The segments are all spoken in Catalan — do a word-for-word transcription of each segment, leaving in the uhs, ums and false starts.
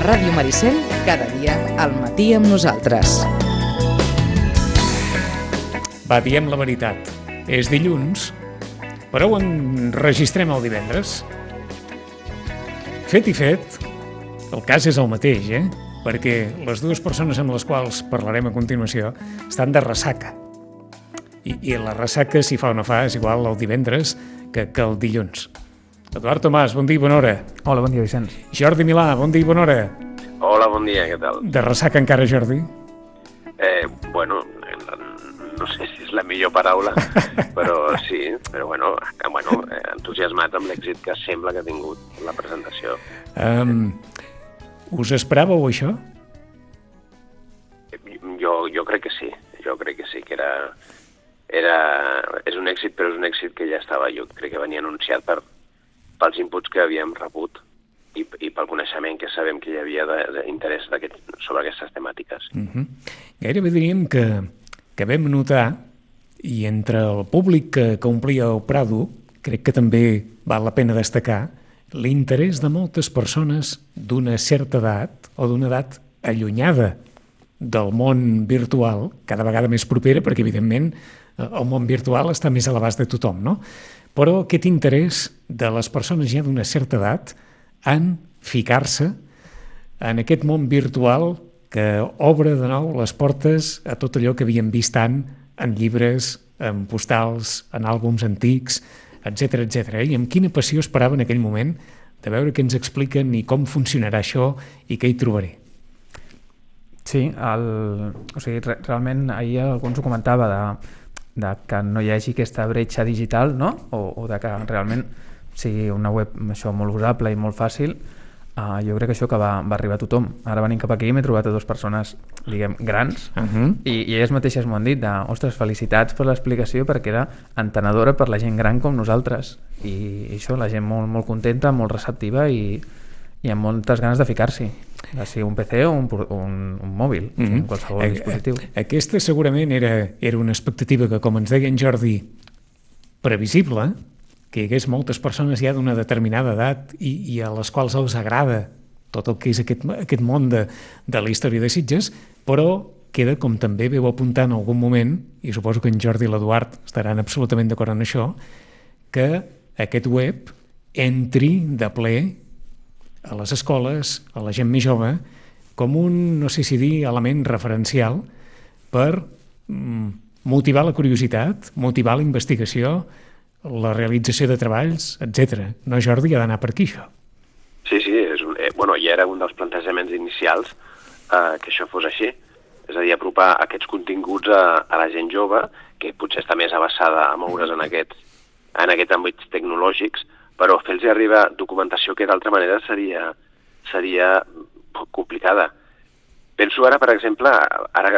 Ràdio Maricel, cada dia al matí amb nosaltres. Va, diem la veritat. És dilluns, però ho enregistrem el divendres. Fet i fet, el cas és el mateix, eh? Perquè les dues persones amb les quals parlarem a continuació estan de ressaca. I, i la ressaca, si fa o no fa, és igual el divendres que, que el dilluns. Eduard Tomàs, bon dia i bona hora. Hola, bon dia, Vicenç. Jordi Milà, bon dia i bona hora. Hola, bon dia, què tal? De ressaca encara, Jordi? Eh, bueno, no sé si és la millor paraula, però sí, però bueno, bueno entusiasmat amb l'èxit que sembla que ha tingut la presentació. Um, us esperàveu això? Jo, jo crec que sí, jo crec que sí, que era, era... És un èxit, però és un èxit que ja estava, jo crec que venia anunciat per, pels inputs que havíem rebut i, i pel coneixement que sabem que hi havia d'interès sobre aquestes temàtiques. Uh-huh. Gairebé diríem que, que vam notar, i entre el públic que, que omplia el Prado, crec que també val la pena destacar l'interès de moltes persones d'una certa edat o d'una edat allunyada del món virtual, cada vegada més propera, perquè evidentment el món virtual està més a l'abast de tothom, no? Però aquest interès de les persones ja d'una certa edat en ficar-se en aquest món virtual que obre de nou les portes a tot allò que havíem vist tant en llibres, en postals, en àlbums antics, etcètera, etcètera. I amb quina passió esperava en aquell moment de veure què ens expliquen i com funcionarà això i què hi trobaré. Sí, el, o sigui, re, realment ahir algú ens ho comentava de, de que no hi hagi aquesta bretxa digital, no? O, o de que realment sigui una web això molt usable i molt fàcil. Uh, jo crec que això que va, va arribar a tothom. Ara venint cap aquí m'he trobat a dues persones, diguem, grans, uh-huh. i, i elles mateixes m'ho han dit de, ostres, felicitats per l'explicació perquè era entenedora per la gent gran com nosaltres. I, i això, la gent molt, molt contenta, molt receptiva i, i amb moltes ganes de ficar-s'hi. Ja sigui un P C o un, un, un mòbil, uh-huh. o sigui, qualsevol a, dispositiu. Aquesta segurament era, era una expectativa que, com ens deia en Jordi, previsible, que hi hagués moltes persones ja d'una determinada edat i, i a les quals els agrada tot el que és aquest, aquest món de, de la història de Sitges, però queda, com també veu apuntar en algun moment, i suposo que en Jordi i l'Eduard estaran absolutament d'acord en això, que aquest web entri de ple a les escoles, a la gent més jove, com un, no sé si dir, element referencial per mm, motivar la curiositat, motivar la investigació, la realització de treballs, etcètera. No, Jordi, ha d'anar per aquí, això. Sí, sí, és un, eh, bueno, ja era un dels plantejaments inicials eh, que això fos així. És a dir, apropar aquests continguts a, a la gent jove, que potser està més avançada a moure's en aquests, en aquests àmbits tecnològics, però fer-los arribar documentació que d'altra manera seria, seria complicada. Penso ara, per exemple, ara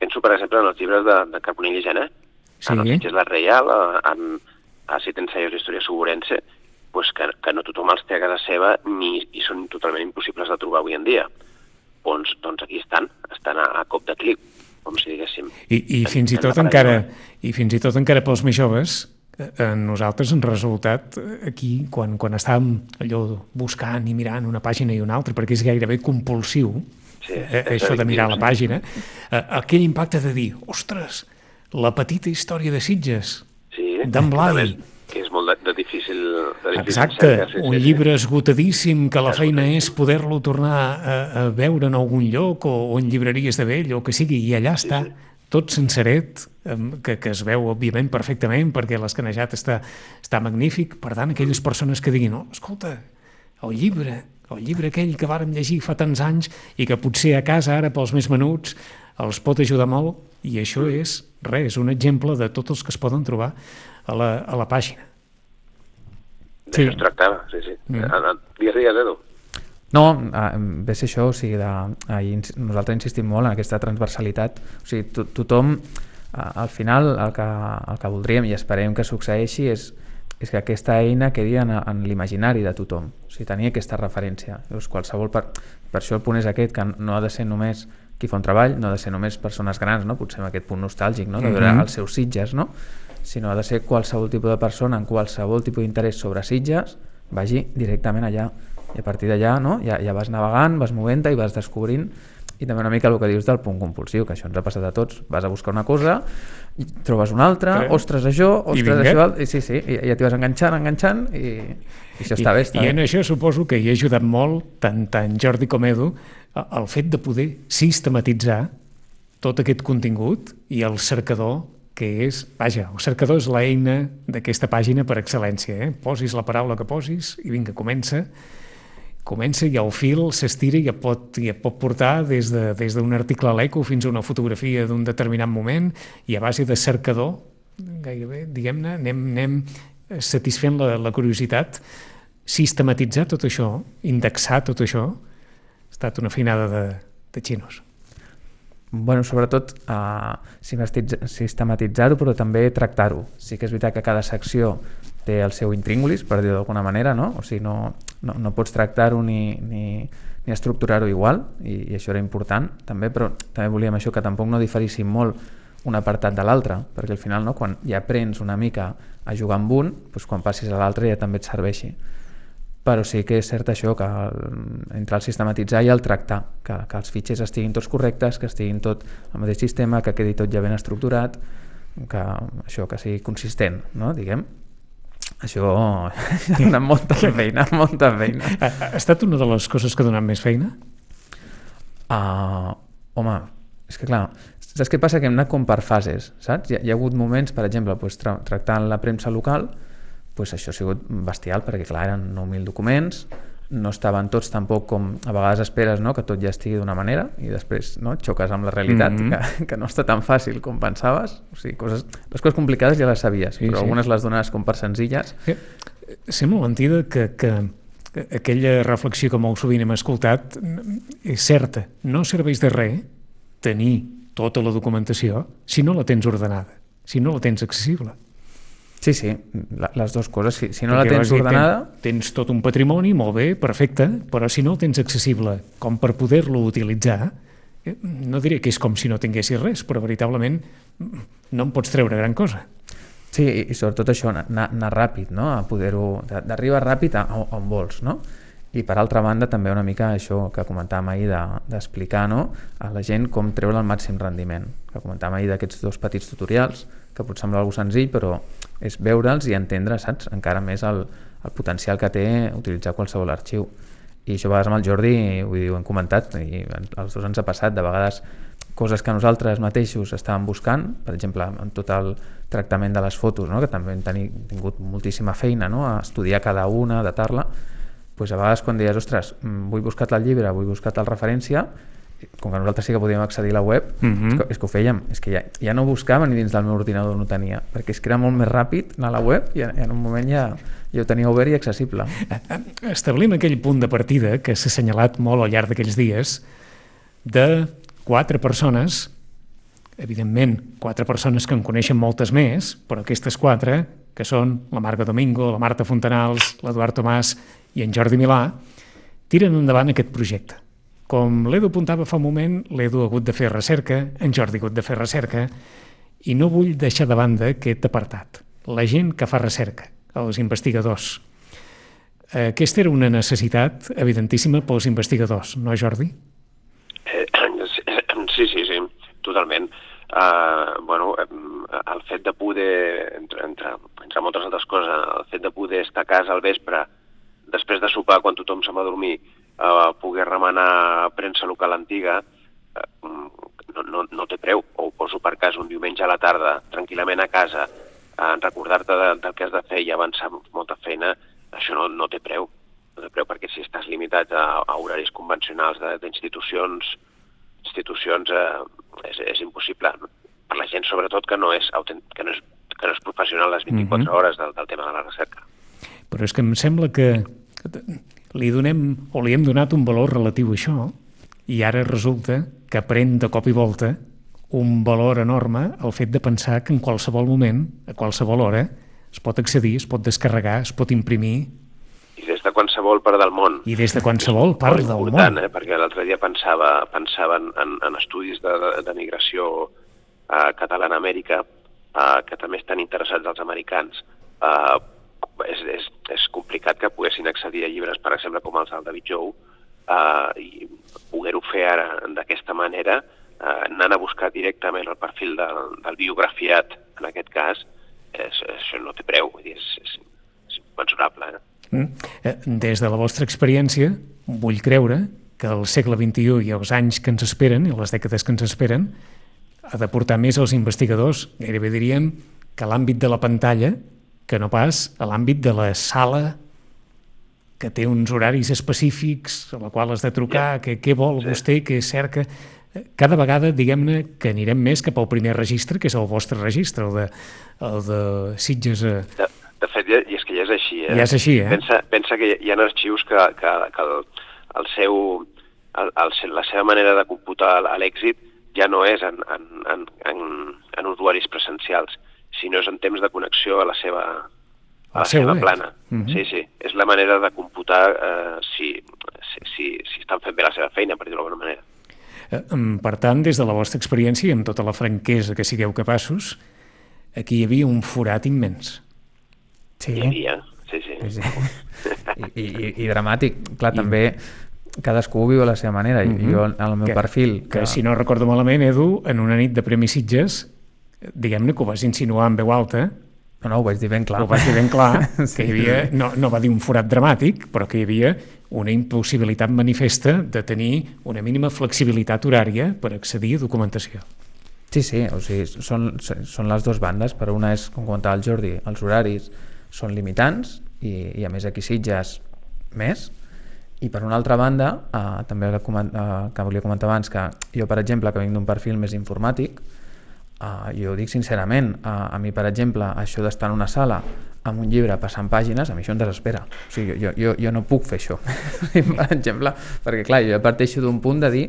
penso, per exemple, en els llibres de, de Carbonell i Gené, sí. En els Sitges la Reial, en a Set ensaios d'història suburense, pues que, que no tothom els té a casa seva ni i són totalment impossibles de trobar avui en dia. Doncs, doncs aquí estan, estan a, a cop de clic, com si diguéssim. I, i, fins, i, tot encara, I fins i tot encara pels més joves, a nosaltres ens ha resultat aquí, quan, quan estàvem allò buscant i mirant una pàgina i una altra, perquè és gairebé compulsiu, sí, eh, això de mirar la pàgina, eh, aquell impacte de dir, ostres, la petita història de Sitges, sí, d'en Blai. Que és molt de, de difícil... De difícil Exacte, cerca, sí, un sí, llibre esgotadíssim que la feina és poder-lo tornar a, a veure en algun lloc o, o en llibreries de vell o que sigui, i allà està, sí, sí. Tot senceret, que, que es veu òbviament perfectament perquè l'escanejat està, està magnífic. Per tant, aquelles persones que diguin, oh, escolta, el llibre, el llibre aquell que vàrem llegir fa tants anys i que potser a casa ara pels més menuts els pot ajudar molt, i això és res, un exemple de tots els que es poden trobar a la, a la pàgina. D'això es tractava, sí, sí. Mm. Digues, digues, Edu. No, ve ser això, o sigui, de, ahir nosaltres insistim molt en aquesta transversalitat. O sigui, to, tothom, al final, el que, el que voldríem i esperem que succeeixi és, és que aquesta eina quedi en, en l'imaginari de tothom. O sigui, tenir aquesta referència. Llavors, qualsevol per, per això el punt és aquest, que no ha de ser només qui fa un treball, no ha de ser només persones grans, no? Potser amb aquest punt nostàlgic, no? De veure mm-hmm. els seus Sitges, no? Sinó ha de ser qualsevol tipus de persona en qualsevol tipus d'interès sobre Sitges, vagi directament allà I a partir d'allà, no? ja, ja vas navegant, vas movent-te i vas descobrint. I també una mica el que dius del punt compulsiu, que això ens ha passat a tots. Vas a buscar una cosa, i trobes una altra, Creu. ostres, això, ostres, això... I sí, sí, i ja t'hi vas enganxant, enganxant, i, i això està I, bé. Està I bé. en això suposo que hi ha ajudat molt, tant, tant Jordi com Edu, el fet de poder sistematitzar tot aquest contingut i el cercador, que és, vaja, el cercador és l'eina d'aquesta pàgina per excel·lència, eh? Posis la paraula que posis i vinga, comença, comença i el fil s'estira i et pot, i et pot portar des de, des d'un article a l'Eco fins a una fotografia d'un determinat moment i a base de cercador, gairebé, diguem-ne, anem, anem satisfent la, la curiositat, sistematitzar tot això, indexar tot això, ha estat una feinada de, de xinos. Bueno, sobretot uh, sistematitzar-ho, però també tractar-ho. Sí que és veritat que cada secció té el seu intríngulis, per dir-ho d'alguna manera, no? O sigui, no, no, no pots tractar-ho ni, ni, ni estructurar-ho igual, i, i això era important també, però també volíem això, que tampoc no diferissin molt un apartat de l'altre, perquè al final, no, quan ja aprens una mica a jugar amb un, doncs quan passis a l'altre ja també et serveixi. Però sí que és cert això, que el, entre el sistematitzar i el tractar, que, que els fitxers estiguin tots correctes, que estiguin tot al mateix sistema, que quedi tot ja ben estructurat, que això, que sigui consistent, no, diguem. Això ha donat molta feina, molta feina. Ha, ha estat una de les coses que ha donat més feina? Uh, home, és que clar, saps què passa? Que hem anat com per fases, saps? Hi ha, hi ha hagut moments, per exemple, doncs, tra tractant la premsa local, doncs això ha sigut bestial, perquè clar, eren nou mil documents, no estaven tots tampoc com a vegades esperes, no? Que tot ja estigui d'una manera i després, no? Xoques amb la realitat, mm-hmm. que, que no està tan fàcil com pensaves. O sigui, coses, les coses complicades ja les sabies, sí, però sí. Algunes les dones com per senzilles. Sí. Sembla mentida que, que, que aquella reflexió que molt sovint hem escoltat és certa. No serveix de res tenir tota la documentació si no la tens ordenada, si no la tens accessible. Sí, sí, la, les dues coses. Si, si no Perquè la tens ordenada... Tens, tens tot un patrimoni, molt bé, perfecte, però si no el tens accessible com per poder-lo utilitzar, no diré que és com si no tinguessis res, però veritablement no en pots treure gran cosa. Sí, i sobretot això, anar, anar ràpid, no? A poder-ho... d'arribar ràpid a, a on vols, no? I per altra banda també una mica això que comentàvem ahir d'explicar, no? A la gent com treure el màxim rendiment, que comentàvem ahir d'aquests dos petits tutorials, que pot semblar algo senzill, però és veure'ls i entendre, saps, encara més el, el potencial que té utilitzar qualsevol arxiu. I això a vegades amb el Jordi, vull dir, ho hem comentat, i als dos ens ha passat, de vegades coses que nosaltres mateixos estàvem buscant, per exemple, en tot el tractament de les fotos, no? Que també hem tingut moltíssima feina, no? A estudiar cada una, datar-la, doncs a vegades quan deies, ostres, vull buscar el llibre, vull buscar tal referència, com que nosaltres sí que podíem accedir a la web, mm-hmm. és, que, és que ho fèiem, és que ja, ja no buscava ni dins del meu ordinador no tenia, perquè és que era molt més ràpid anar a la web i en un moment ja, ja ho tenia obert i accessible. Establim aquell punt de partida que s'ha assenyalat molt al llarg d'aquells dies de quatre persones, evidentment quatre persones que en coneixen moltes més, però aquestes quatre, que són la Marga Domingo, la Marta Fontanals, l'Eduard Tomàs i en Jordi Milà, tiren endavant aquest projecte. Com l'Edu apuntava fa un moment, l'Edu ha hagut de fer recerca, en Jordi ha hagut de fer recerca, i no vull deixar de banda aquest apartat. La gent que fa recerca, els investigadors. Aquesta era una necessitat evidentíssima pels investigadors, no, Jordi? Eh, sí, sí, sí, totalment. Uh, bueno, el fet de poder, entre, entre, entre moltes altres coses, el fet de poder estar a casa al vespre, després de sopar, quan tothom se'n va a dormir, Uh, poder remenar premsa local antiga uh, no, no, no té preu. O ho poso per cas un diumenge a la tarda tranquil·lament a casa, uh, recordar-te de, del que has de fer i avançar molta feina, això no, no té preu. No té preu perquè si estàs limitat a, a horaris convencionals d'institucions institucions uh, és, és impossible. Per la gent sobretot que no és, que no és, que no és professional les vint-i-quatre mm-hmm. hores del, del tema de la recerca. Però és que em sembla que li donem o li hem donat un valor relatiu a això i ara resulta que pren de cop i volta un valor enorme el fet de pensar que en qualsevol moment, a qualsevol hora, es pot accedir, es pot descarregar, es pot imprimir. I des de qualsevol part del món. I des de qualsevol part del món. Eh? Perquè l'altre dia pensava, pensava en, en estudis de, de migració eh, catalana a Amèrica, eh, que també estan interessats els americans. Eh, és, és, és complicat que poguessin accedir a llibres, per exemple, com els del David Jou, uh, i poder-ho fer ara d'aquesta manera, uh, anant a buscar directament el perfil del, del biografiat, en aquest cas, és, això no té preu, vull dir, és, és, és inconmensurable. Eh? Mm. Des de la vostra experiència, vull creure que el segle vint-i-u i els anys que ens esperen, i les dècades que ens esperen, ha de portar més als investigadors, gairebé diríem, que a l'àmbit de la pantalla, que no pas a l'àmbit de la sala, que té uns horaris específics, a la qual has de trucar, que què vol sí. vostè, què cerca. Cada vegada, diguem-ne, que anirem més cap al primer registre, que és el vostre registre, el de, el de Sitges. A... De, de fet, ja, i és que ja és així. Eh? Ja és així, eh? Pensa, pensa que hi ha arxius que, que, que el, el seu, el, el, la seva manera de computar l'èxit ja no és en, en, en, en, en usuaris presencials, sinó és en temps de connexió a la seva, a la seva plana. Uh-huh. Sí, sí, és la manera de computar eh, si, si, si, si estan fent bé la seva feina, per dir-ho d'alguna manera. Per tant, des de la vostra experiència, i amb tota la franquesa que sigueu capaços, aquí hi havia un forat immens. Sí. Hi havia, sí, sí. sí, sí. I, i, I dramàtic. Clar, I... també cadascú ho viu a la seva manera. Uh-huh. Jo, al meu que, perfil... Que, que, si no recordo malament, Edu, en una nit de Premi Sitges, diguem-ne que ho vas insinuar en veu alta. No, no, ho vaig dir ben clar. Ho vaig dir ben clar, sí. que hi havia, no, no va dir un forat dramàtic, però que hi havia una impossibilitat manifesta de tenir una mínima flexibilitat horària per accedir a documentació. Sí, sí, o sigui, són, són les dues bandes. Per una és, com comentava el Jordi, els horaris són limitants i, i a més aquí Sitges més. I per una altra banda, eh, també que, eh, que volia comentar abans, que jo, per exemple, que vinc d'un perfil més informàtic, Uh, jo ho dic sincerament, uh, a mi, per exemple, això d'estar en una sala amb un llibre passant pàgines, a mi això em desespera. O sigui, jo, jo, jo no puc fer això, per exemple, perquè clar, jo parteixo d'un punt de dir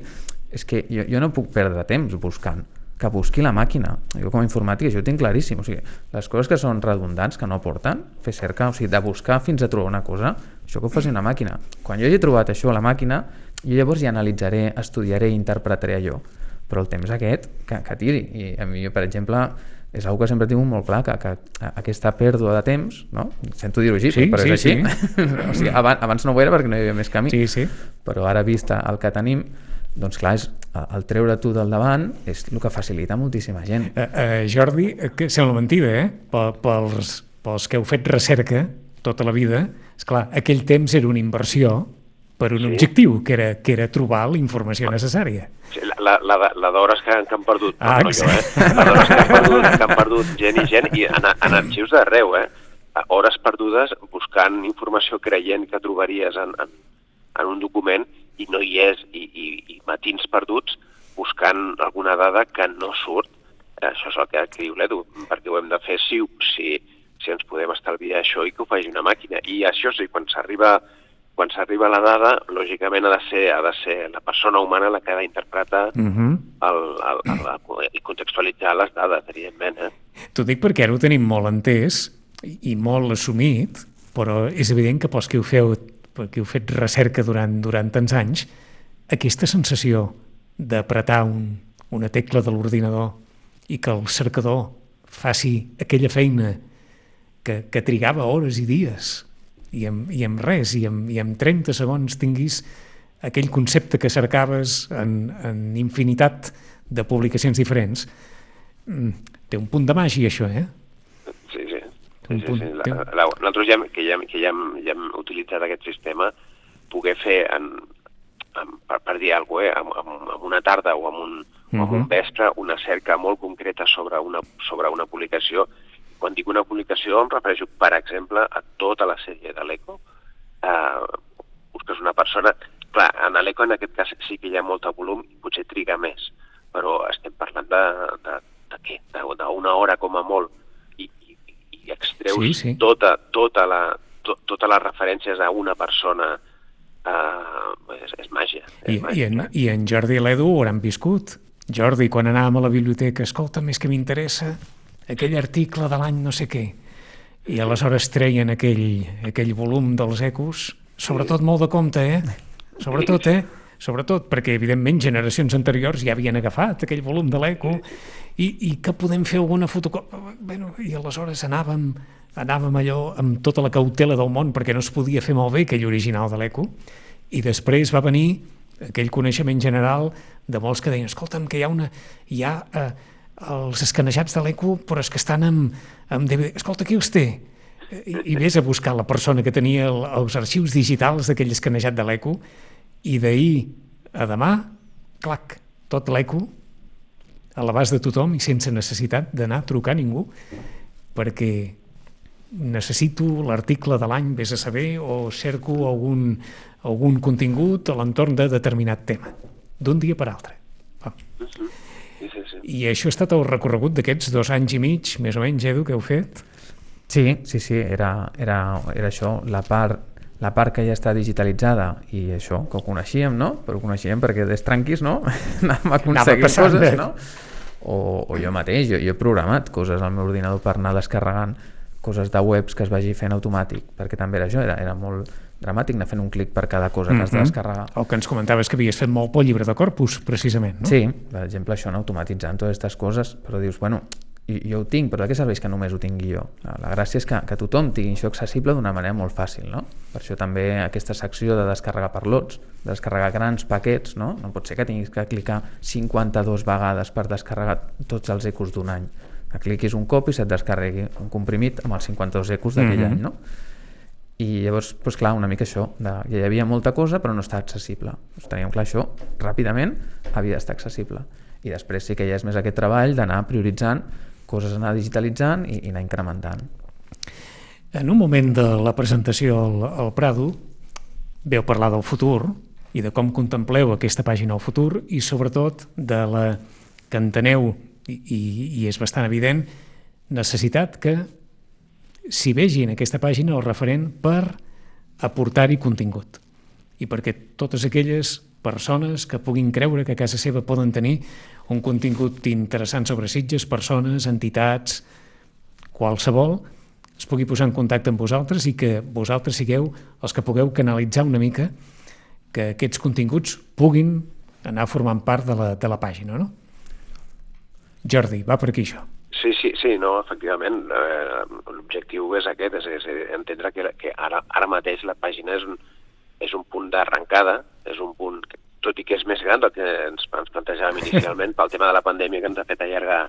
és que jo, jo no puc perdre temps buscant, que busqui la màquina. Jo com a informàtic això ho tinc claríssim, o sigui, les coses que són redundants, que no aporten, fer cerca, o sigui, de buscar fins a trobar una cosa, això que ho faci una màquina. Quan jo hagi trobat això a la màquina, jo llavors ja analitzaré, estudiaré i interpretaré allò. Però el temps aquest, que, que tiri. I a mi, per exemple, és una que sempre tinc molt clar, que, que aquesta pèrdua de temps, no? Sento dir-ho així, sí, però sí, és així. Sí. O sigui, abans, abans no ho era perquè no hi havia més camí, sí, sí. Però ara vista el que tenim, doncs clar, és, el treure tu del davant és el que facilita moltíssima gent. Uh, uh, Jordi, que sembla mentida, eh? Pels, pels que heu fet recerca tota la vida, esclar, aquell temps era una inversió per un sí. objectiu, que era, que era trobar la informació necessària. Sí, la, la, la d'hores que, que han perdut, ah, no jo, eh? La d'hores que han perdut, que han perdut gent i gent, i en, en arxius d'arreu, eh? Hores perdudes buscant informació creient que trobaries en, en, en un document i no hi és, i, i, i matins perduts buscant alguna dada que no surt. Això és el que, que diu l'Edu, perquè ho hem de fer si, si, si ens podem estalviar això i que ho faci una màquina. I això sí, quan s'arriba quan s'arriba a la dada, lògicament ha de ser, ha de ser la persona humana la que ha d'interpretar uh-huh. el, el, el, el, i contextualitzar les dades, evidentment. Eh? T'ho dic perquè ara ho tenim molt entès i molt assumit, però és evident que pels que ho feu, que heu fet recerca durant, durant tants anys, aquesta sensació d'apretar un, una tecla de l'ordinador i que el cercador faci aquella feina que, que trigava hores i dies, i amb, i amb res, i amb, i amb trenta segons tinguis aquell concepte que cercaves en, en infinitat de publicacions diferents, té un punt de màgia, això, eh? Sí, sí. sí, sí, sí. La, la, nosaltres ja, que, ja, que ja, hem, ja hem utilitzat aquest sistema, poder fer, en, en, per, per dir alguna cosa, eh, amb, amb, amb una tarda o amb un, uh-huh. amb un vespre, una cerca molt concreta sobre una, sobre una publicació. Quan dic una publicació em refereixo, per exemple, a tota la sèrie de l'Eco. Eh, busques una persona... Clar, en l'Eco en aquest cas sí que hi ha molt volum i potser triga més, però estem parlant de, de, de què? D'una hora com a molt i, i, i extreus sí, sí. Tota, tota la, to, totes les referències a una persona. Eh, és, és màgia. És I, màgia i, en, I en Jordi i l'Edu ho hauran viscut. Jordi, quan anàvem a la biblioteca, escolta, més que m'interessa aquell article de l'any no sé què, i aleshores treien aquell, aquell volum dels Ecos, sobretot molt de compte, eh? Sobretot, eh? sobretot perquè, evidentment, generacions anteriors ja havien agafat aquell volum de l'Eco i, i que podem fer alguna fotocòpia. Bueno, i aleshores anàvem, anàvem allò amb tota la cautela del món perquè no es podia fer molt bé aquell original de l'Eco, i després va venir aquell coneixement general de molts que deien, escolta'm, que hi ha una... Hi ha eh, els escanejats de l'Eco, però és que estan amb, amb D V D. Escolta, qui els té? I, i vés a buscar la persona que tenia el, els arxius digitals d'aquell escanejat de l'Eco, i d'ahir a demà, clac, tot l'Eco a l'abast de tothom i sense necessitat d'anar a trucar a ningú, perquè necessito l'article de l'any, vés a saber, o cerco algun, algun contingut a l'entorn de determinat tema, d'un dia per altre. Oh. Sí, sí, sí. I això ha estat el recorregut d'aquests dos anys i mig, més o menys, Edu, que heu fet? Sí, sí, sí, era, era, era això, la part, la part que ja està digitalitzada i això, que ho coneixíem, no? Però ho coneixíem perquè des tranquis, no? Anàvem a aconseguir coses, no? O, o jo mateix, jo, jo he programat coses al meu ordinador per anar descarregant coses de webs que es vagi fent automàtic, perquè també era això, era, era molt dramàtic anar fent un clic per cada cosa que has de descarregar. El que ens comentaves que havies fet molt pel llibre de Corpus, precisament, no? Sí, per exemple, això, no? Automatitzant totes aquestes coses, però dius, bueno, jo ho tinc, però de què serveix que només ho tingui jo? La gràcia és que, que tothom tingui això accessible d'una manera molt fàcil, no? Per això també aquesta secció de descarregar per lots, de descarregar grans paquets, no? No pot ser que tinguis que clicar cinquanta-dues vegades per descarregar tots els ecos d'un any. Que cliquis un cop i se't descarregui un comprimit amb els cinquanta-dos ecos d'aquell mm-hmm. any, no? I llavors, doncs clar, una mica això, de, ja hi havia molta cosa però no està accessible. Doncs teníem clar això, ràpidament havia d'estar accessible. I després sí que ja és més aquest treball d'anar prioritzant coses, anar digitalitzant i, i anar incrementant. En un moment de la presentació al, al Prado veu parlar del futur i de com contempleu aquesta pàgina al futur i sobretot de la que enteneu, i, i, i és bastant evident, necessitat que s'hi vegi en aquesta pàgina el referent per aportar-hi contingut i perquè totes aquelles persones que puguin creure que a casa seva poden tenir un contingut interessant sobre Sitges, persones, entitats, qualsevol, es pugui posar en contacte amb vosaltres i que vosaltres sigueu els que pugueu canalitzar una mica que aquests continguts puguin anar formant part de la, de la pàgina, no? Jordi, va per aquí això. Sí, sí, sí, no, efectivament, eh, l'objectiu és aquest, és, és entendre que, que ara, ara mateix la pàgina és un, és un punt d'arrencada, és un punt, que, tot i que és més gran del que ens, ens plantejàvem inicialment pel tema de la pandèmia que ens ha fet allargar,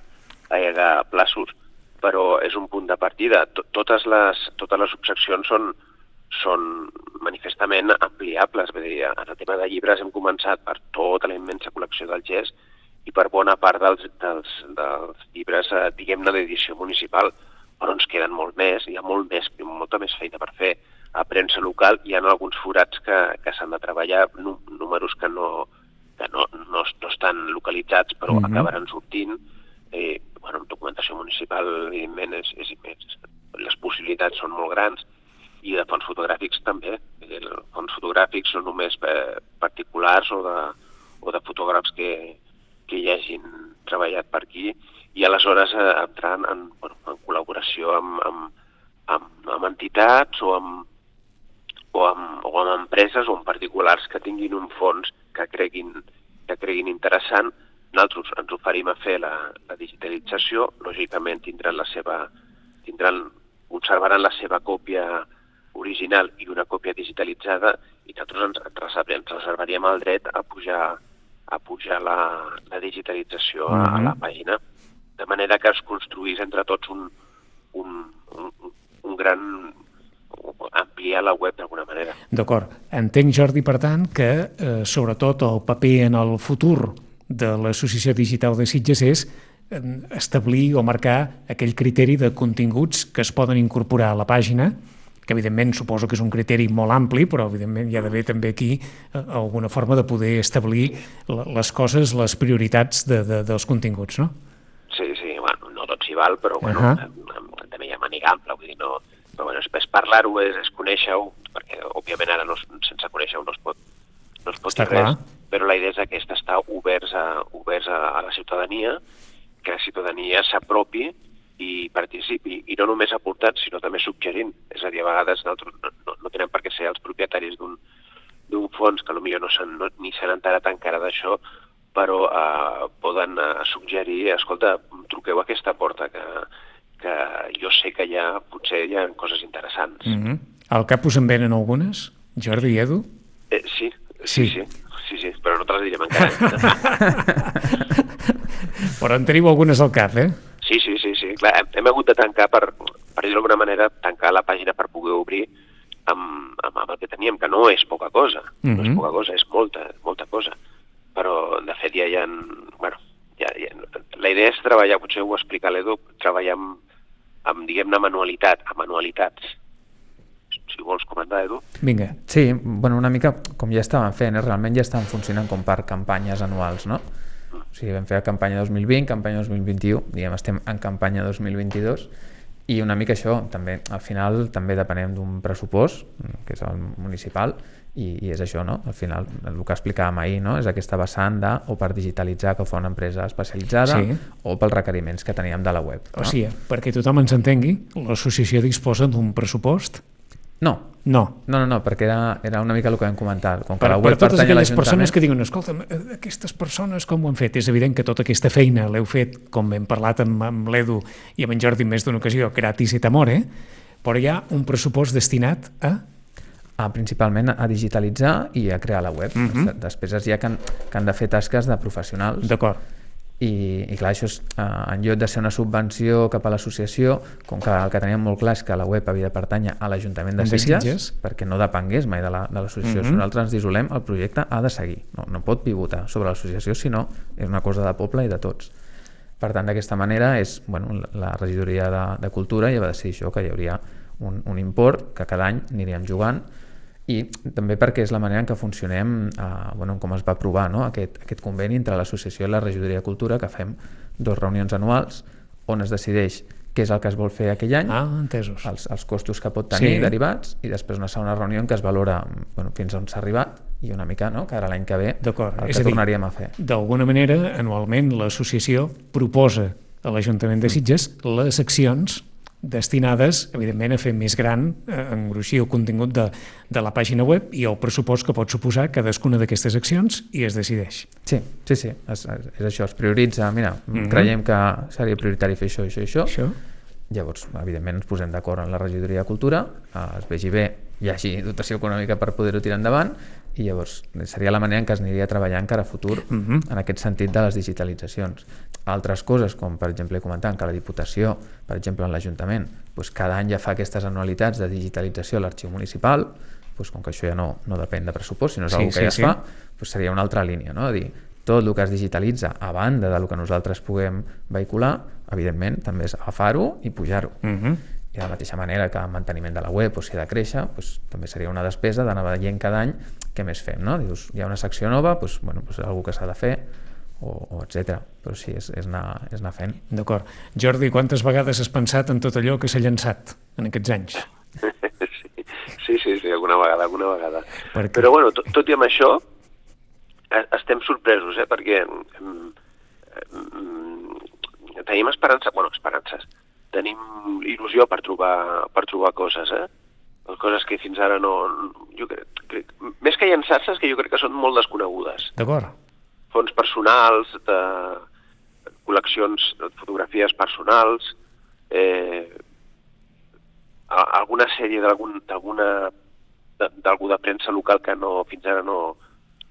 allargar plaços, però és un punt de partida. Totes les, totes les subseccions són, són manifestament ampliables, vull dir, en el tema de llibres hem començat per tota la immensa col·lecció del G E S i per bona part dels, dels, dels llibres, eh, diguem-ne, d'edició municipal, però ens queden molt més, hi ha molt més, molta més feina per fer. A premsa local hi ha alguns forats que, que s'han de treballar, números que no, que no, no, no estan localitzats, però mm-hmm. acabaran sortint. Eh, bueno, documentació municipal, evidentment, és, és immens. Les possibilitats són molt grans, i de fons fotogràfics també. Els fons fotogràfics són només particulars o de, o de fotògrafs que que hi hagin treballat per aquí i aleshores eh, entrant en, bueno, en col·laboració amb, amb, amb, amb entitats o amb, o, amb, o amb empreses o amb particulars que tinguin un fons que creguin, que creguin interessant. Nosaltres ens oferim a fer la, la digitalització, lògicament tindran la seva, tindran, conservaran la seva còpia original i una còpia digitalitzada i nosaltres ens, ens reservaríem el dret a pujar a pujar la, la digitalització a, a la pàgina, de manera que es construís entre tots un, un, un, un gran... ampliar la web d'alguna manera. D'acord. Entenc, Jordi, per tant, que eh, sobretot el paper en el futur de l'Associació Digital de Sitges és eh, establir o marcar aquell criteri de continguts que es poden incorporar a la pàgina, que evidentment suposo que és un criteri molt ampli, però evidentment hi ha d'haver també aquí alguna forma de poder establir les coses, les prioritats de, de, dels continguts, no? Sí, sí, bueno, no tot s'hi val, però bueno, uh-huh. també hi ha màniga ampla, vull dir, no... Però bueno, és, és parlar-ho, és, és conèixer-ho, perquè òbviament ara no, sense conèixer-ho no es pot, no es pot Està dir res, clar. Però la idea és aquesta, estar oberts a, oberts a, a la ciutadania, que la ciutadania s'apropi i participi, i no només aportant, sinó també suggerint. És a dir, a vegades nosaltres no, no, no tenen per què ser els propietaris d'un d'un fons que potser no, s'han, no ni s'han enterat encara d'això, però eh, poden eh, suggerir, escolta, truqueu a aquesta porta, que, que jo sé que hi ha, potser hi ha coses interessants. Mm-hmm. Al cap us en venen algunes? Jordi i Edu? Eh, sí, sí, sí, sí, sí, sí, però no te les direm encara. Però en teniu algunes al cap, eh? Sí, sí, sí, sí. Clar, hem, hem hagut de tancar, per, per dir d'alguna manera, tancar la pàgina per poder obrir amb, amb, amb el que teníem, que no és poca cosa, mm-hmm. no és poca cosa, és molta, molta cosa. Però, de fet, ja hi ha... Bueno, ja, ja, la idea és treballar, potser ho explica l'Edu, treballar amb, amb diguem-ne, manualitat, amb manualitats. Si vols comentar, Edu. Vinga. Sí, bueno, una mica com ja estaven fent, eh? Realment ja estan funcionant com per campanyes anuals, no? O sigui, vam fer la campanya dos mil vint, campanya dos mil vint-i-u, diguem, estem en campanya dos mil vint-i-dos, i una mica això, també, al final també depenem d'un pressupost, que és el municipal, i, i és això, no? Al final, el que explicàvem ahir, no? És aquesta vessant de, o per digitalitzar, que ho fa una empresa especialitzada, sí. o pels requeriments que teníem de la web. No? O sigui, perquè tothom ens entengui, l'associació disposa d'un pressupost? No. No. No, no, no, perquè era, era una mica el que vam comentar. Com que per, la web per totes aquelles persones que diuen, escolta, aquestes persones com ho han fet? És evident que tota aquesta feina l'heu fet, com hem parlat amb, amb l'Edu i amb en Jordi en més d'una ocasió, gratis et amore, però hi ha un pressupost destinat a... a principalment a digitalitzar i a crear la web. Mm-hmm. Després hi ha que han, que han de fer tasques de professionals. D'acord. I, i clar, això és, eh, en lloc de ser una subvenció cap a l'associació, com que el que teníem molt clar és que la web havia de pertànyer a l'Ajuntament de, de Sitges, Sitges, perquè no depengués mai de l'associació. La, mm-hmm. Si nosaltres ens dissolem, el projecte ha de seguir. No, no pot pivotar sobre l'associació, sinó és una cosa de poble i de tots. Per tant, d'aquesta manera, és, bueno, la regidoria de, de Cultura ja va decidir això, que hi hauria un, un import que cada any aniríem jugant, i també perquè és la manera en què funcionem, eh, bueno, com es va aprovar, no? aquest, aquest conveni entre l'associació i la regidoria de Cultura, que fem dues reunions anuals on es decideix què és el que es vol fer aquell any, ah, entesos. Els, els costos que pot tenir, sí. derivats, i després una segona reunió en què es valora, bueno, fins on s'ha arribat i una mica, no?, que ara l'any que ve el que és a dir, tornaríem a fer. D'alguna manera, anualment, l'associació proposa a l'Ajuntament de Sitges les accions destinades, evidentment, a fer més gran, a engruixir el contingut de, de la pàgina web i el pressupost que pot suposar cadascuna d'aquestes accions i es decideix. Sí, sí, sí, és, és això, es prioritza, mira, mm-hmm. creiem que seria prioritari fer això, això i això, això. Llavors, evidentment, ens posem d'acord en la regidoria de Cultura, es vegi bé, hi hagi dotació econòmica per poder-ho tirar endavant, i llavors seria la manera en què es aniria treballant cara a futur mm-hmm. en aquest sentit de les digitalitzacions. Altres coses, com per exemple comentant que la Diputació, per exemple en l'Ajuntament, doncs cada any ja fa aquestes anualitats de digitalització a l'arxiu municipal, doncs com que això ja no, no depèn de pressupost, sinó és sí, una cosa que sí, ja es sí. fa, doncs seria una altra línia, no? Dir, tot el que es digitalitza a banda del que nosaltres puguem vehicular, evidentment, també és agafar-ho i pujar-ho. Mm-hmm. I de la mateixa manera que el manteniment de la web, o si ha de créixer, doncs, també seria una despesa d'anar veient cada any què més fem, no? Dius, hi ha una secció nova, doncs, bueno, doncs algú que s'ha de fer, o, o etcètera. Però sí, és, és, anar, és anar fent. D'acord. Jordi, quantes vegades has pensat en tot allò que s'ha llançat en aquests anys? Sí, sí, sí, alguna vegada, alguna vegada. Però, bueno, tot, tot i amb això, estem sorpresos, eh? Perquè mm, mm, tenim esperança, bueno, esperances, tenim il·lusió per trobar, per trobar coses, eh? Coses que fins ara no... Jo crec, crec, més que llançar-se, que jo crec que són molt desconegudes. D'acord. Fons personals, de col·leccions, de fotografies personals, eh, alguna sèrie d'alguna d'algú de premsa local que no, fins ara no,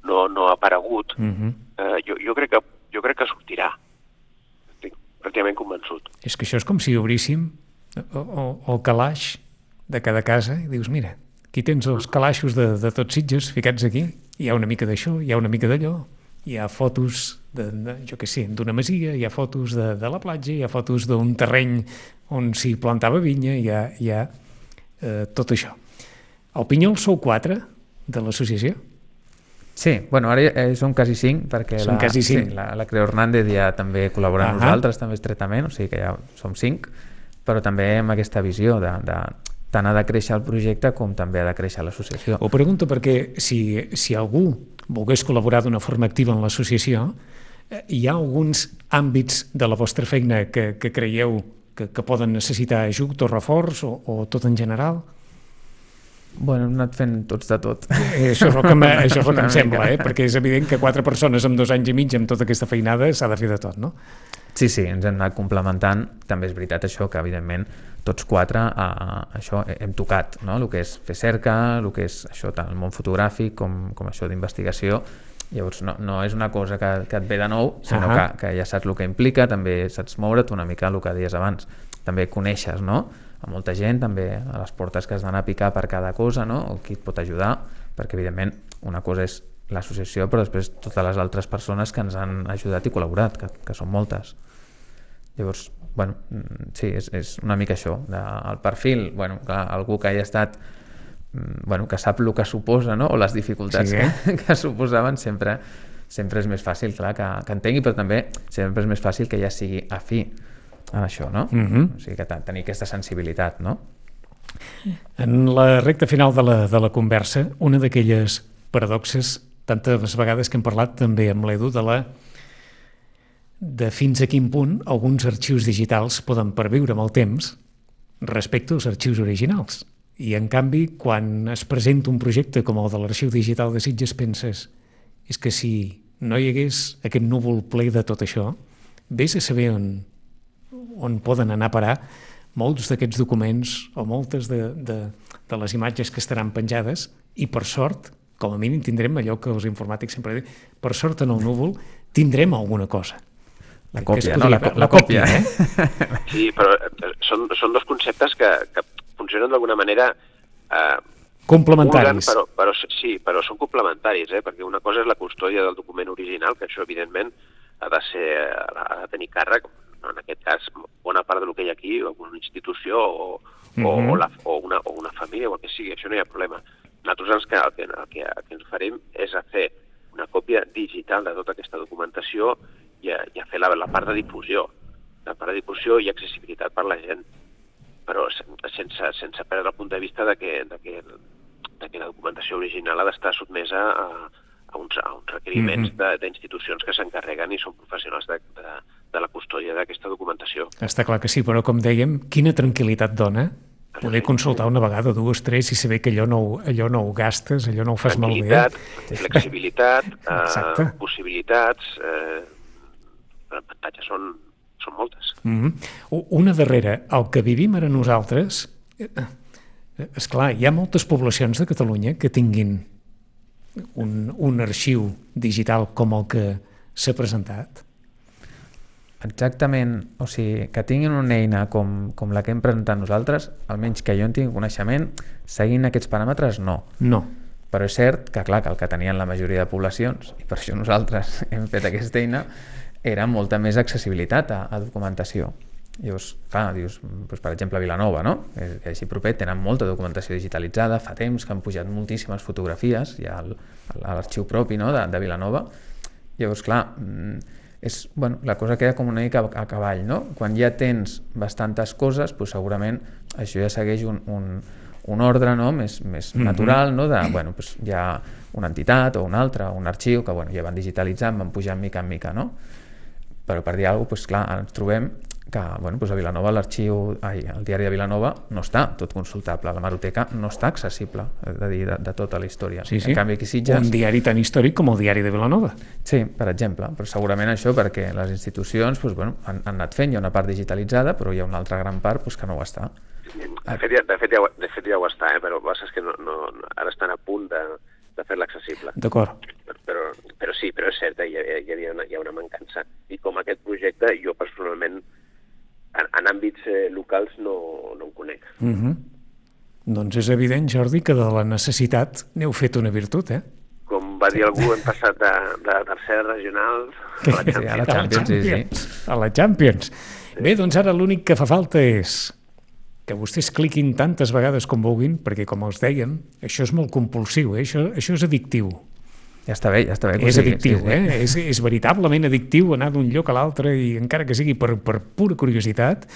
no, no ha aparegut. Mm-hmm. eh, jo, jo, crec que, jo crec que sortirà. Estic pràcticament convençut. És que això és com si obríssim el, el calaix de cada casa i dius, mira, aquí tens els calaixos de, de tots Sitges ficats aquí, hi ha una mica d'això, hi ha una mica d'allò, hi ha fotos de, de, jo què sé, d'una masia, hi ha fotos de, de la platja, hi ha fotos d'un terreny on s'hi plantava vinya, hi ha, hi ha eh, tot això. El Pinyol sou quatre de l'associació? Sí, bueno, ara eh, som quasi cinc, perquè som la, quasi cinc. Sí, la, la Creu Hernández ja també col·labora amb nosaltres, també estretament, o sigui que ja som cinc, però també amb aquesta visió de, de tant ha de créixer el projecte com també ha de créixer l'associació. Ho pregunto perquè si, si algú volgués col·laborar d'una forma activa en l'associació, hi ha alguns àmbits de la vostra feina que, que creieu que, que poden necessitar ajut o reforç o, o tot en general? Bueno, hem anat fent tots de tot. Eh, això és el que, me, això és el que em sembla, eh? Perquè és evident que quatre persones amb dos anys i mig amb tota aquesta feinada s'ha de fer de tot, no? Sí, sí, ens hem anat complementant. També és veritat això, que evidentment tots quatre a, això hem tocat, no? El que és fer cerca, el que és això, tant el món fotogràfic com, com això d'investigació. Llavors no, no és una cosa que, que et ve de nou, sinó uh-huh. que, que ja saps el que implica, també saps moure't una mica el que deies abans. També coneixes, no?, a molta gent, també a les portes que has d'anar a picar per cada cosa, no?, o qui et pot ajudar, perquè evidentment una cosa és l'associació, però després totes les altres persones que ens han ajudat i col·laborat, que, que són moltes. Llavors, bueno, sí, és, és una mica això, de, el perfil, bueno, clar, algú que hagi estat, bueno, que sap el que suposa, no?, o les dificultats sí, eh? que, que suposaven, sempre, sempre és més fàcil, clar, que, que entengui, però també sempre és més fàcil que ja sigui afí a això, no? Mm-hmm. O sigui, que tenir aquesta sensibilitat, no? En la recta final de la, de la conversa, una d'aquelles paradoxes, tantes vegades que hem parlat també amb l'Edu, de la de fins a quin punt alguns arxius digitals poden perviure amb el temps respecte als arxius originals. I, en canvi, quan es presenta un projecte com el de l'Arxiu Digital de Sitges, penses és que si no hi hagués aquest núvol ple de tot això, vés a saber on on poden anar a parar molts d'aquests documents o moltes de, de, de les imatges que estaran penjades i, per sort, com a mínim tindrem allò que els informàtics sempre diuen, per sort en el núvol tindrem alguna cosa. La còpia, podria, no? La, la, la còpia, eh? Sí, però són, són dos conceptes que, que funcionen d'alguna manera eh, complementaris. Pulguen, però, però, sí, però són complementaris, eh? Perquè una cosa és la custòdia del document original, que això, evidentment, ha de, ser, ha de tenir càrrec, en aquest cas, bona part del que hi ha aquí, o una institució o, mm-hmm. o, la, o, una, o una família o el que sigui, això no hi ha problema. Nosaltres ens, el, que, el, que, el que ens farem és a fer una còpia digital de tota aquesta documentació i a, i a fer la, la part de difusió, la part de difusió i accessibilitat per la gent, però sense, sense perdre el punt de vista de que, de que, de que la documentació original ha d'estar sotmesa a, a, uns, a uns requeriments mm-hmm. d'institucions que s'encarreguen i són professionals de, de de la custòdia d'aquesta documentació. Està clar que sí, però com dèiem, quina tranquil·litat dona poder consultar una vegada, dues, tres i saber que allò no, allò no ho gastes, allò no ho fas malbé. Flexibilitat, eh, possibilitats, eh, avantatges són, són moltes. Mm-hmm. Una darrera, el que vivim ara nosaltres, esclar, hi ha moltes poblacions de Catalunya que tinguin un, un arxiu digital com el que s'ha presentat. Exactament, o sigui, que tinguin una eina com, com la que hem presentat nosaltres, almenys que jo en tingui coneixement, seguint aquests paràmetres, no. No. Però és cert que, clar, que el que tenien la majoria de poblacions, i per això nosaltres hem fet aquesta eina, era molta més accessibilitat a, a documentació. Llavors, clar, dius, doncs, per exemple, Vilanova, no? Que és així proper, tenen molta documentació digitalitzada, fa temps que han pujat moltíssimes fotografies, hi ha l'arxiu propi, no?, de, de Vilanova. Llavors, clar, és, bueno, la cosa queda com una mica a cavall, no? Quan ja tens bastantes coses, doncs segurament això ja segueix un, un, un ordre, no?, més, més mm-hmm. natural, no?, de, bueno, doncs hi ha una entitat o una altra, un arxiu que, bueno, ja van digitalitzant, van pujant mica en mica, no? Però per dir alguna cosa, doncs, clar, ens trobem que, bueno, doncs a Vilanova l'arxiu, ai, el diari de Vilanova no està tot consultable, la hemeroteca no està accessible, de dir, de, de tota la història. Sí, sí. En canvi, aquí Sitges... Un diari tan històric com el diari de Vilanova. Sí, per exemple, però segurament això perquè les institucions doncs, bueno, han, han anat fent, hi ha una part digitalitzada, però hi ha una altra gran part doncs, que no ho està. De fet, ja, de fet, ja, de fet ja ho està, eh? Però el que passa és que no, no, ara estan a punt de, de fer-la accessible. D'acord. Però, però sí, però és cert, eh? hi, hi, havia una, hi ha una mancança. I com aquest projecte, jo personalment, en, en àmbits eh, locals no, no en conec. Mm-hmm. Doncs és evident, Jordi, que de la necessitat n'heu fet una virtut, eh? Com va dir algú, hem passat de, de tercera regional a la Champions. Sí, a la Champions, sí, sí. A la Champions. Bé, doncs ara l'únic que fa falta és que vostès cliquin tantes vegades com vulguin, perquè, com els dèiem, això és molt compulsiu, eh? això, això és addictiu. Ja està bé, ja està bé. És sigui, addictiu, sí, sí. eh? És, és veritablement addictiu anar d'un lloc a l'altre i encara que sigui per, per pura curiositat,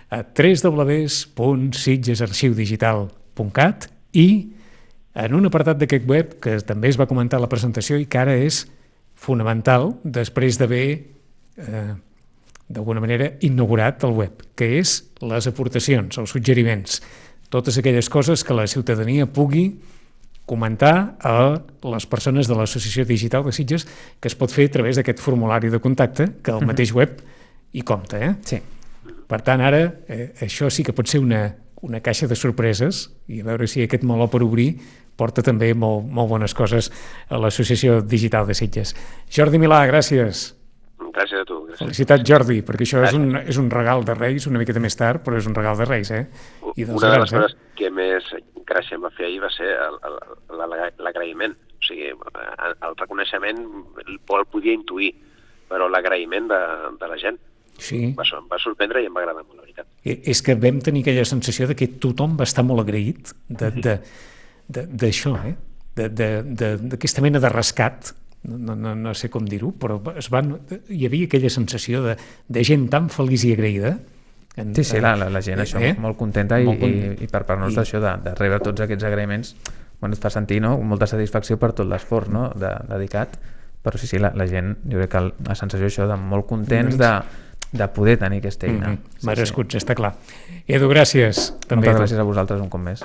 a w w w punt sitgesarxiudigital punt cat i en un apartat d'aquest web que també es va comentar a la presentació i que ara és fonamental després d'haver eh, d'alguna manera inaugurat el web, que és les aportacions, els suggeriments. totes aquelles coses que la ciutadania pugui comentar a les persones de l'Associació Digital de Sitges, que es pot fer a través d'aquest formulari de contacte que el mateix web hi compta. Eh? Sí. Per tant, ara, eh, això sí que pot ser una, una caixa de sorpreses i a veure si aquest meló per obrir porta també molt, molt bones coses a l'Associació Digital de Sitges. Jordi Milà, gràcies. Gràcies a tu. Gràcies. Felicitat, Jordi, perquè això és un, és un regal de Reis, una miqueta més tard, però és un regal de Reis, eh? I dels una de grans, les coses eh? que més gràcia em va fer ahir va ser l'agraïment. O sigui, el reconeixement el podia intuir, però l'agraïment de, de la gent. Sí. Va, em va sorprendre i em va agradar molt, la veritat. És que vam tenir aquella sensació de que tothom va estar molt agraït d'això, eh? D'aquesta mena de rescat, no, no, no sé com dir-ho, però es van, hi havia aquella sensació de, de gent tan feliç i agraïda. En, sí, sí, la, la, la gent, això, eh? molt contenta, molt i, i, i per part nostra, I... això de, de rebre tots aquests agraïments, bueno, et fa sentir, no?, molta satisfacció per tot l'esforç, no?, de, dedicat, però sí, sí, la, la gent, jo crec que la sensació això de molt contents de, de poder tenir aquesta eina. Mm-hmm. Sí, merescuts, sí. Està clar. Edu, gràcies. Moltes gràcies a vosaltres un cop més.